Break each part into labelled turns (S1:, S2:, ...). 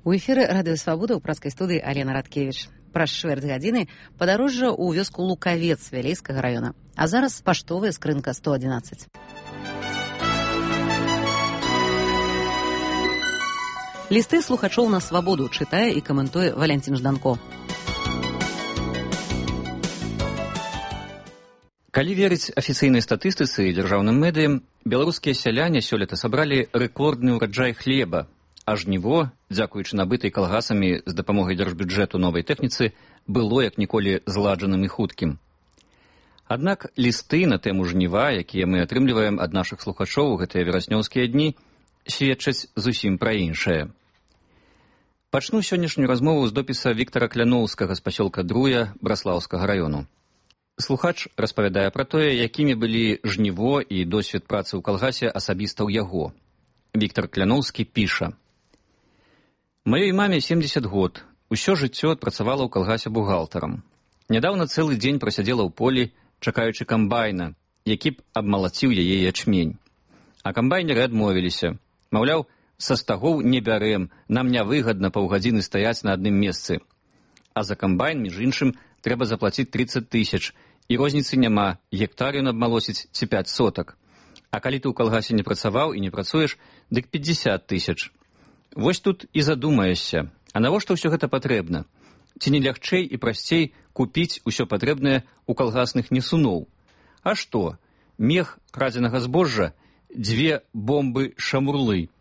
S1: У эфіры радыёвабода ў праскай студыі Алена Радкевіч. Праз чвэрць гадзіны падарожжа ў вёску Лукавец Вялейскага раёна. А зараз паштовая скрынка 111. Лісты слухачоў на свабоду чытае і каментуе Валянцін Жданко.
S2: Калі верыць афіцыйнай статыстыцы і дзяржаўным медыям, беларускія сяляне сёлета сабралі рэкордны ўраджай хлеба, а жніво, дзякуючы набытай калгасамі з дапамогай дзяржбюджэту новай тэхніцы, было як ніколі зладжаным і хуткім. Аднак лісты на тэму жніва, якія мы атрымліваем ад нашых слухачоў у гэтыя вераснёўскія дні, сведчаць зусім пра іншае. Пачну сённяшнюю размову з допіса Віктара Кляноўскага з пасёлка Друя Браслаўскага раёну. Слухач распавядае пра тое, якімі былі жніво і досвед працы ў калгасе асабіста ў яго. Віктар Кляноўскі піша: «Маёй маме 70 год. Усё жыццё адпрацавала ў калгасе бухгалтарам. Нядаўна цэлы дзень прасядзела ў полі, чакаючы камбайна, які б абмалаціў яе ячмень. А камбайнеры адмовіліся. Маўляў, са стагоў не бярэм, нам нявыгадна паўгадзіны стаяць на адным месцы. А за камбайн, між іншым, трэба заплаціць 30 000, і розніцы няма, гектар ён абмалосіць ці 5 сотак. А калі ты ў калгасе не працаваў і не працуеш, дык 50 000. Вось тут і задумаешся, а навошта ўсё гэта патрэбна? Ці не лягчэй і прасцей купіць усё патрэбнае ў калгасных несуноў? А што? Мех крадзенага збожжа, 2 бомбы-шамурлы.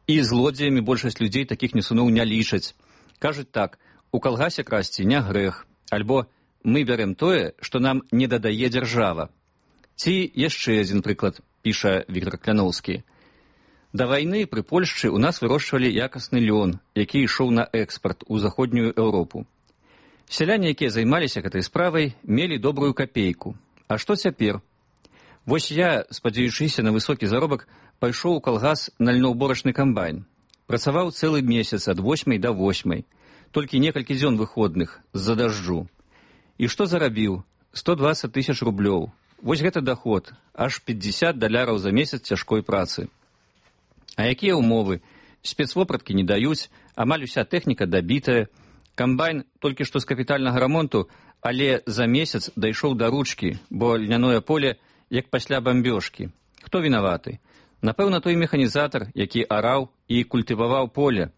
S2: І злодзеямі большасць людзей такіх несуноў не лічаць. Кажуць так, у калгасе красці не грэх, альбо мы бярем тое, што нам не дадае дзяржава. Ці яшчэ адзін прыклад, піша Віктар Кляноўскі. Да вайны пры Польшчы ў нас вырошчвалі якасны лён, які ішоў на экспарт у заходнюю Еўропу. Сяляне, якія займаліся гэтай справай, мелі добрую капейку. А што цяпер? Вось я, спадзяючыся на высокі заробак, пайшоў у калгас на льноўборачны камбайн. Працаваў цэлы месяц ад 8 до 8, толькі некалькі дзён выходных з-за дажджу. І што зарабіў? 120 000 рублёў. Вось гэта даход, аж $50 за месяц цяжкой працы. А якія ўмовы? Спецвопраткі не даюць, амаль уся тэхніка дабітая. Камбайн толькі што з капітальнага рамонту, але за месяц дайшоў да ручкі, бо льняное поле як пасля бамбёжкі. Хто вінаваты? Напэўна, той механізатар, які араў і культываваў поле.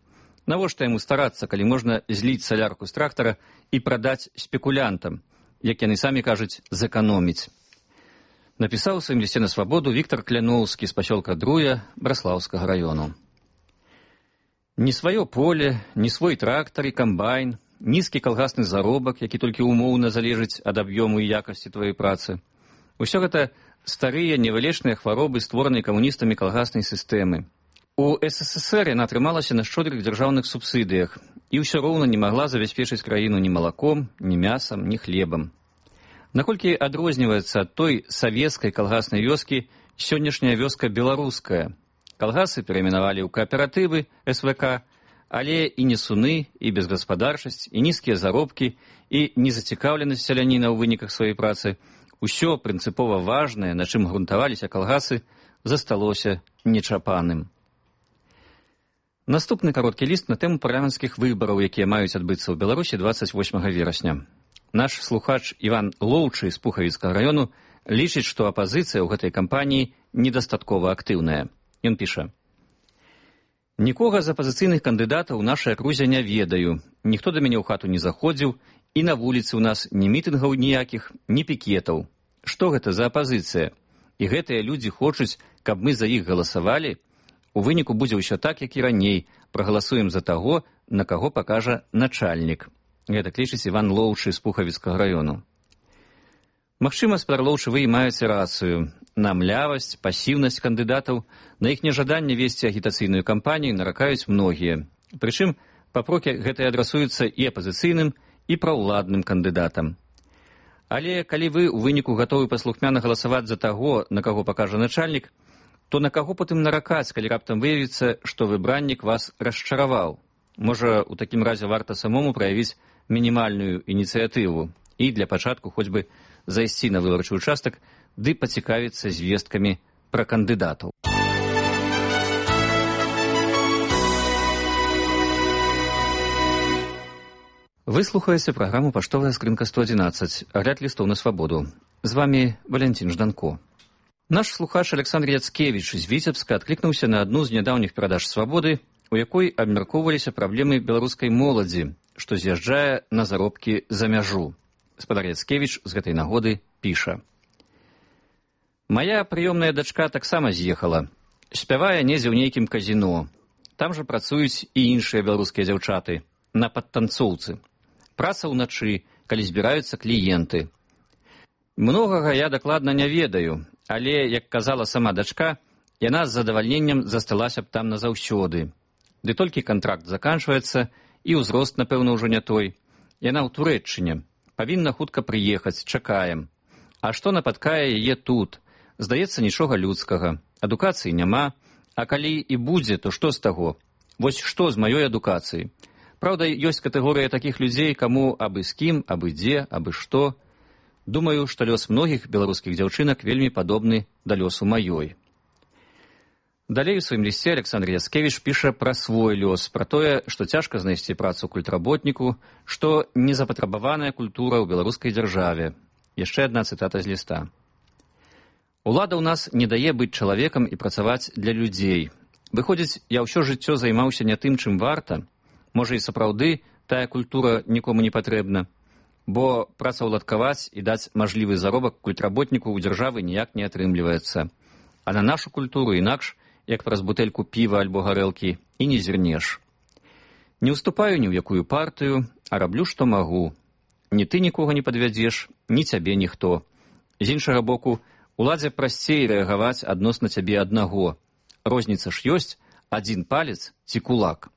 S2: Навошта яму старацца, калі можна зліць салярку з трактара і прадаць спекулянтам, як яны самі кажуць, зэканоміць. Напісаў у сваім лісце на свабоду Віктар Кляноўскі з пасёлка Друя Браслаўскага раёну. Ні сваё поле, ні свой трактар і камбайн, нізкі калгасны заробак, які толькі умоўна залежыць ад аб'ёму і якасці тваёй працы. Усё гэта старыя невылечныя хваробы, створаныя камуністамі калгаснай сістэмы. У СССР яна атрымалася на шчодрых дзяржаўных субсідыях і ўсё роўна не магла забяспечыць краіну ні малаком, ні мясам, ні хлебам. Наколькі адрозніваецца ад той савецкай калгаснай вёскі сённяшняя вёска беларуская. Калгасы перайменавалі ў кааператывы СВК, але і несуны, і безгаспадарчасць, і нізкія заробкі, і незацікаўленасць сяляніна ў выніках сваёй працы, усё прынцыпова важнае, на чым грунтаваліся калгасы, засталося нечапаным. Наступны кароткі ліст на тэму парламенцкіх выбараў, якія маюць адбыцца ў Беларусі 28 верасня. Наш слухач Іван Лоўчы з Пухавіцкага раёну лічыць, што апазіцыя ў гэтай кампаніі недастаткова актыўная. Ён піша: «Нікога з апазіцыйных кандыдатаў у нашай акрузе не ведаю, ніхто да мяне ў хату не заходзіў, і на вуліцы ў нас ні мітынгаў ніякіх, ні пікетаў. Што гэта за апазіцыя? І гэтыя людзі хочуць, каб мы за іх галасавалі? У выніку будзе ўсё так, як і раней, прагаласуем за таго, на каго пакажа начальнік». Гэта лічыць Іван Лоўчы з Пухавіцкага раёну. Магчыма, спадар Лоўчы, вы і маеце рацыю. На млявасць, пасіўнасць кандыдатаў, на іх нежаданне весці агітацыйную кампанію наракаюць многія. Прычым, папрокі гэтыя адрасуюцца і апазіцыйным, і праўладным кандыдатам. Але калі вы ў выніку гатовы паслухмяна галасаваць за таго, на каго пакажа начальнік, то на каго потым наракаць, калі раптам выявіцца, што выбраннік вас расчараваў? Можа, у такім разе варта самому праявіць мінімальную ініцыятыву і для пачатку хоць бы зайсці на выбарчы ўчастак ды пацікавіцца звесткамі пра кандыдатаў. Вы слухаеце праграму «Паштовая скрынка 111», агляд лістоў на свабоду. З вами Валентин Жданко. Наш слухач Александр Яцкевич з Віцебска адклікнуўся на адну з нядаўніх перадаж «Свабоды», у якой абмяркоўваліся праблемы беларускай моладзі, што з'язджае на заробкі за мяжу. Спадар Яцкевич з гэтай нагоды піша. «Мая прыёмная дачка таксама з'ехала. Спявае недзе ў нейкім казіно. Там жа працуюць і іншыя беларускія дзяўчаты, на падтанцоўцы. Праца ўначы, калі збіраюцца кліенты. Многага я дакладна не ведаю, але, як казала сама дачка, яна з задавальненнем засталася б там назаўсёды. Ды толькі кантракт заканчваецца, і ўзрост, напэўна, ўжо не той. Яна ў Турэччыне. Павінна хутка прыехаць, чакаем. А што напаткае яе тут? Здаецца, нічога людскага. Адукацыі няма. А калі і будзе, то што з таго? Вось што з маёй адукацыі? Праўда, ёсць катэгорыя такіх людзей, каму абы з кім, абы дзе, абы што. Думаю, што лёс многіх беларускіх дзяўчынак вельмі падобны да лёсу маёй». Далей у сваім лісце Александр Яцкевич піша пра свой лёс, пра тое, што цяжка знайсці працу культработніку, што незапатрабаваная культура ў беларускай дзяржаве. Яшчэ адна цытата з ліста. «Улада ў нас не дае быць чалавекам і працаваць для людзей. Выходзіць, я ўсё жыццё займаўся не тым, чым варта. Можа, і сапраўды тая культура нікому не патрэбна, бо працаўладкаваць і даць мажлівы заробак культработніку ў дзяржавы ніяк не атрымліваецца. А на нашу культуру інакш, як праз бутэльку піва альбо гарэлкі, і не зірнеш. Не ўступаю ні ў якую партыю, а раблю, што магу. Ні ты нікога не падвядзеш, ні цябе ніхто. З іншага боку, уладзе прасцей рэагаваць адносна цябе аднаго. Розніца ж ёсць, адзін палец ці кулак».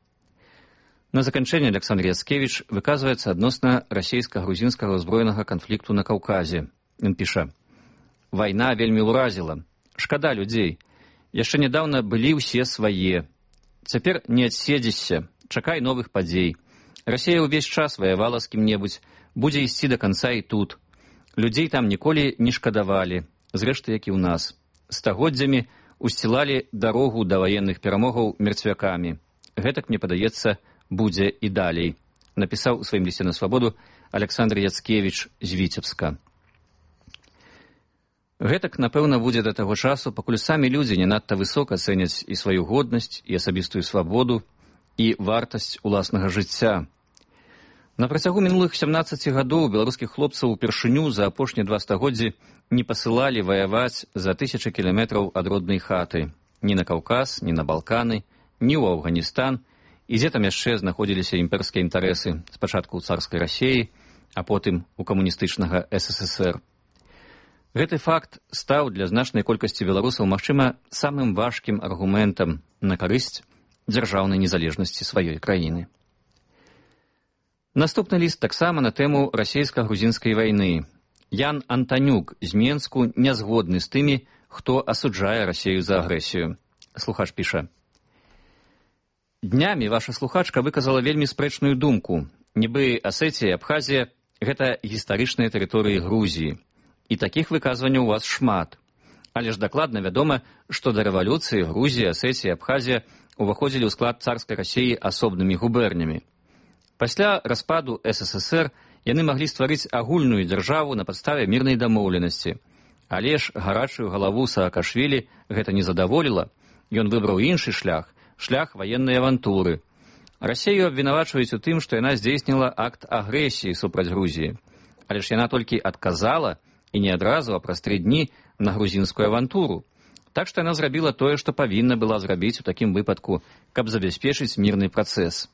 S2: На заканчэнне Александр Яцкевич выказваецца адносна расійска-грузінскага ўзброенага канфлікту на Каўказе. Ён піша. «Вайна вельмі ўразіла. Шкада людзей. Яшчэ нядаўна былі ўсе свае. Цяпер не адседзішся. Чакай новых падзей. Расія ўвесь час ваявала з кім-небудзь. Будзе ісці да канца і тут. Людзей там ніколі не шкадавалі. Зрэшты, як і ў нас. Стагоддзямі усцілалі дарогу да ваенных перамогаў мерцвякамі. Гэтак, мне падаецца, будзе і далей», напісаў у сваім лісце на свабоду Александр Яцкевич з Віцебска. Гэтак, напэўна, будзе да таго часу, пакуль самі людзі не надта высока цэняць і сваю годнасць, і асабістую свабоду, і вартасць уласнага жыцця. На працягу мінулых 17 гадоў беларускіх хлопцаў упершыню за апошнія 2 стагоддзі не пасылалі ваяваць за 1000 кіламетраў ад роднай хаты. Ні на Каўказ, ні на Балканы, ні ў Афганістан, і дзе там яшчэ знаходзіліся імперскія інтарэсы, спачатку ў царскай Расіі, а потым у камуністычнага СССР. Гэты факт стаў для значнай колькасці беларусаў, магчыма, самым важкім аргументам на карысць дзяржаўнай незалежнасці сваёй краіны. Наступны ліст таксама на тэму расійска-грузінскай вайны. Ян Антанюк з Менску не згодны з тымі, хто асуджае Расію за агрэсію. Слухач піша. «Днямі ваша слухачка выказала вельмі спрэчную думку. Нібы Асетія і Абхазія – гэта гістарычныя тэрыторыі Грузіі. І такіх выказванняў у вас шмат. Але ж дакладна вядома, што да рэвалюцыі Грузія, Асетія і Абхазія уваходзілі ў склад царскай Расіі асобнымі губернямі. Пасля распаду СССР яны маглі стварыць агульную дзяржаву на падставе мірнай дамоўленасці. Але ж гарачую галаву Саакашвілі гэта не задаволіла. Ён выбраў іншы шлях ваеннай авантуры. Расію абвінавачваюць у тым, што яна здзейсніла акт агрэсіі супраць Грузіі. Але ж яна толькі адказала, і не адразу, а праз 3 дні, на грузінскую авантуру. Так што яна зрабіла тое, што павінна была зрабіць у такім выпадку, каб забяспечыць мірны працэс.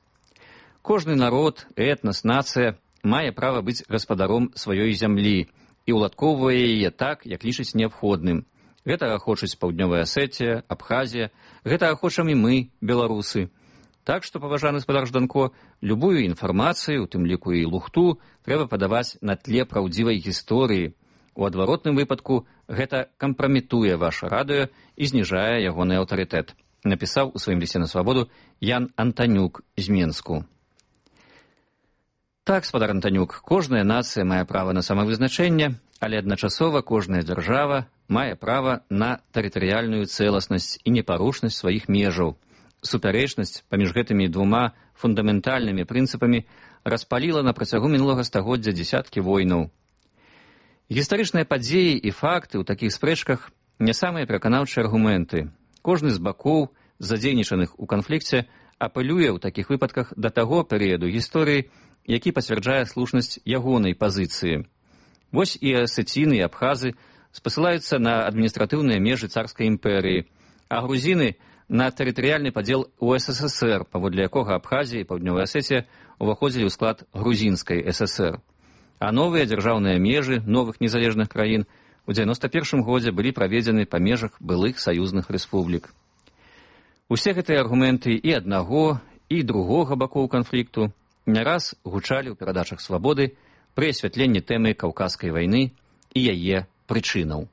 S2: Кожны народ, этнас, нацыя мае права быць гаспадаром сваёй зямлі і ўладкоўвае яе так, як лічыць неабходным. Гэтага хочуць Паўднёвая Асетія, Абхазія, гэтага хочам і мы, беларусы. Так што, паважаны спадар Жданко, любую інфармацыю, у тым ліку і лухту, трэба падаваць на тле праўдзівай гісторыі. У адваротным выпадку гэта кампраметуе ваше радыё і зніжае ягоны аўтарытэт, напісаў у сваім лісце на свабоду Ян Антанюк з Менску. Так, спадар Антанюк, кожная нацыя мае права на самавызначэнне, але адначасова кожная дзяржава мае права на тэрытарыяльную цэласнасць і непарушнасць сваіх межаў. Супярэчнасць паміж гэтымі двума фундаментальнымі прынцыпамі распаліла на працягу мінулага стагоддзя дзесяткі войнаў. Гістарычныя падзеі і факты ў такіх спрэчках не самыя пераканаўчыя аргументы. Кожны з бакоў, задзейнічаных у канфлікце, апелюе ў такіх выпадках да таго перыяду гісторыі, які пацвярджае слушнасць ягонай пазіцыі. Вось і асеціны і абхазы спасылаюцца на адміністратыўныя межы царскай імперыі, а грузіны – на тэрытарыяльны падзел у СССР, паводле якога Абхазія і Паўднёвая Асетія ўваходзілі ў склад грузінскай ССР. А новыя дзяржаўныя межы новых незалежных краін у 91 годзе былі праведзены па межах былых саюзных рэспублік. Усе гэтыя аргументы і аднаго, і другога бакоў канфлікту не раз гучалі ў перадачах «Свабоды» пры асвятленні тэмы Каўказскай вайны і яе прычынаў.